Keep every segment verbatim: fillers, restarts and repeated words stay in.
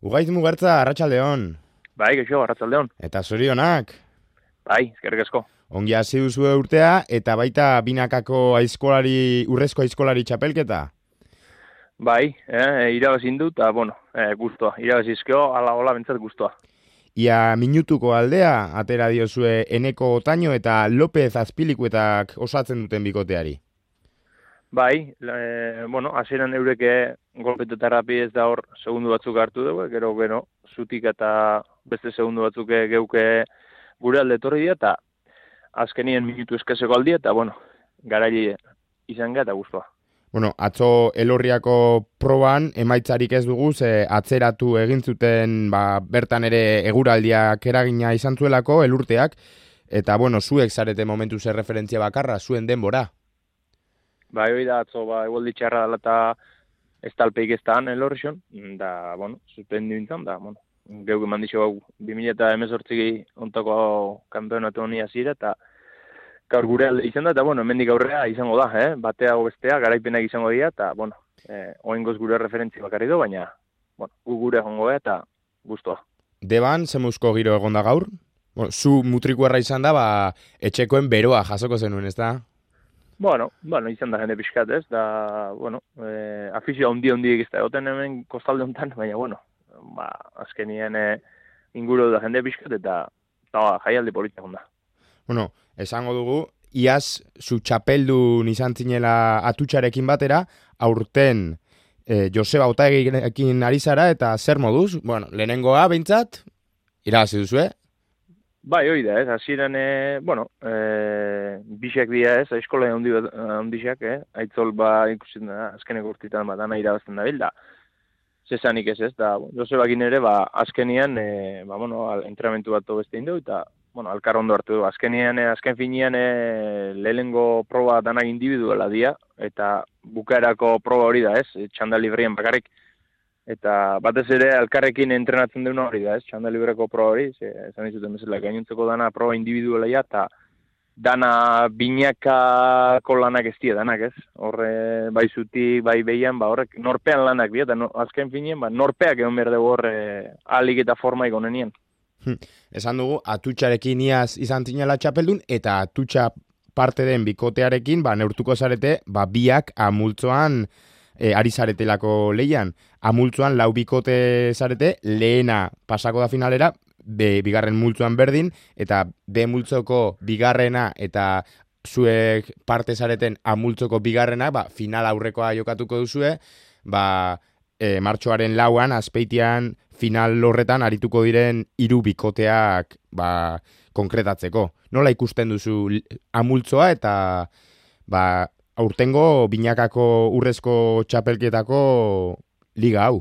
Ugaiz Mugertza, Arratsaldeon. Bai, geixo, arratsaldeon. Eta zorionak. Bai, eskerrik asko. Ongi hasi duzue urtea eta baita binakako aizkolari, urrezko aizkolari txapelketa. Bai, eh, irabazin dut, eta, bueno, eh, guztua. Irabazizkeo, ala hola bentsat guztua. Ia minutuko aldea, atera diozue Eneko Otaño eta López Azpilikuetak osatzen duten bikoteari. Bai, e, bueno, hasieran eureke golpete eta rapidez da hor segundu batzuk hartu dugu, gero, gero, zutik eta beste segundu batzuk geuke gure alde etorri dira, eta azkenien minutu eskaseko aldia, eta, bueno, garaile izan gara eta guztua. Bueno, atzo Elorriako proban emaitzarik ez dugu, ze atzeratu egin zuten ba, bertan ere eguraldiak eragina izan zuelako, elurteak, eta bueno, zuek zarete momentu zer referentzia bakarra, zuen denbora. Bai, hori da, atzo, ba, egualdi txarra dela eta ez talpeik ez da Elorrion, da, bueno, suspendu nintzen, da, bueno, geuk eman dixo hau, bi mila eta hemezortzi ontako kanpeonatu honi azira, eta gaur gure alde izan da, eta, bueno, hemendik aurrera izango da, eh? Batea o bestea, garaipenak izango dira, eta, bueno, eh, oingoz gure referentzi bakarri du, baina, bueno, gu gure egongo da, eta guztua. Deban, zemuzko giro egon da gaur? Bueno, zu mutrikuerra izan da, ba, etxekoen beroa jasoko zenuen, ez da? Bueno, bueno, izan da jende pixkat, ez, da, bueno, eh, afizio handi handi egizta egoten hemen kostalde honetan, baina, bueno, ba, azkenien eh, inguru da jende pixkat, eta, eta ba, jaialdi politia honda. Bueno, esango dugu, iaz zu txapeldun izan zinela atutxarekin batera, aurten eh, Joseba Otaegirekin ari zara, eta zer moduz? Bueno, lehenengoa behintzat, irabazi duzu, eh? Bai, hori da, ez, hasieran, e, bueno, e, bixak dira, ez, eskola handi handixak, eh, aitzol, ba, ikusten da, azkeneko urtitan, ba, dana irabazten da bilda, zezanik ez, ez, da, Josebakin ere, ba, azkenian, e, ba, bueno, entrenamentu bat beste indu, eta, bueno, alkar ondo hartu du, azkenian, e, azken finean, e, lehenengo proba danak individuala dia, eta bukaerako proba hori da, ez, txanda librien bakarrik, eta batez ere alkarrekin entrenatzen duen hori da, ez? Txanda libreko proba hori, ze, esan dizuten bezala, gainontzeko dana proba individuala ja, eta dana binakako lanak ez dira danak, ez? Horre, bai zutik, bai behian, ba, horrek norpean lanak dira, eta no, azken finien, ba, norpeak egon behar dugu horre ahalik eta forma ikonenien. Hm. Esan dugu, atutxarekin iaz izan zinela txapeldun, eta atutxa parte den bikotearekin, ba, neurtuko zarete, ba, biak amultzoan E, ari zaretelako lehian. Amultzuan lau bikote zarete, lehena pasako da finalera, be, bigarren multzuan berdin, eta B multzoko bigarrena eta zuek parte zareten amultzoko bigarrena, ba, final aurrekoa jokatuko duzue, ba, e, martxoaren lauan, azpeitian final horretan arituko diren hiru bikoteak ba, konkretatzeko. Nola ikusten duzu amultzoa eta ba, aurtengo binakako urrezko txapelketako liga hau?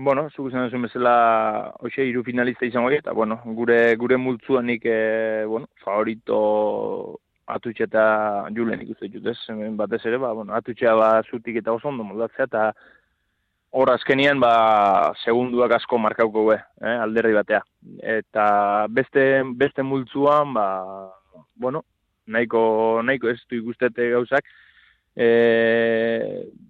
Bueno, zuk izan duzun bezala hoxe hiru finalista izango dira, eta bueno, gure gure multzuanik e, bueno, favorito atutxe eta Julen ikuste dut, ez? Batez ere, ba, bueno, atutxea ba, zutik eta oso ondo moldatzea, eta hor azkenian ba, segunduak asko markauko be, eh, alderdi batea. Eta beste, beste multzuan, ba, bueno, nahiko, nahiko ez du ikustete gauzak, e,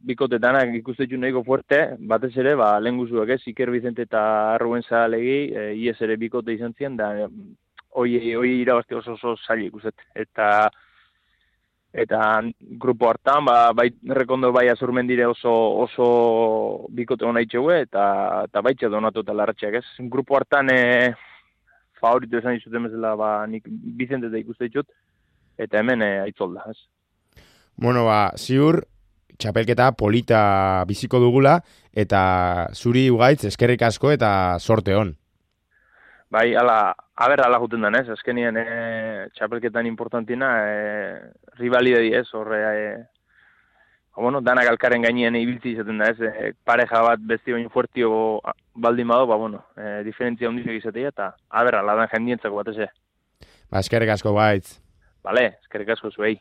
bikotetanak ikustetu nahiko fuerte, batez ere, ba, lehen guzuak ez, Iker Vicente eta Rubén Zahalegi, e, ies ere bikote izan ziren, da, hoi, hoi irabazte oso oso zaila ikustet. Eta, eta grupo hartan, ba, bai, rekondo bai azurmendire oso, oso bikote hona itxegue, eta, eta baitxe donatu eta larratxeak ez. Grupo hartan, e, favorito esan izuten bezala, ba, nik Vicente eta ikuste ditut, eta hemen e, aitzolda, ez. Bueno, ba, ziur, txapelketa polita biziko dugula, eta zuri Ugaitz eskerrik asko eta sorte hon. Bai, ala, aber, ala juten den, ez, azkenien e, txapelketan importantina, e, rivalidadi ez, horre, e, bueno, danak alkaren gainien ibiltzi izaten da, ez, e, pareja bat besti baino fuertio baldin bado, ba, bueno, e, diferentzia ondizak izatea, eta aber, ala dan jendientzako batez, e. Ba, eskerrik asko Ugaitz. Bale, eskerrik asko zuei.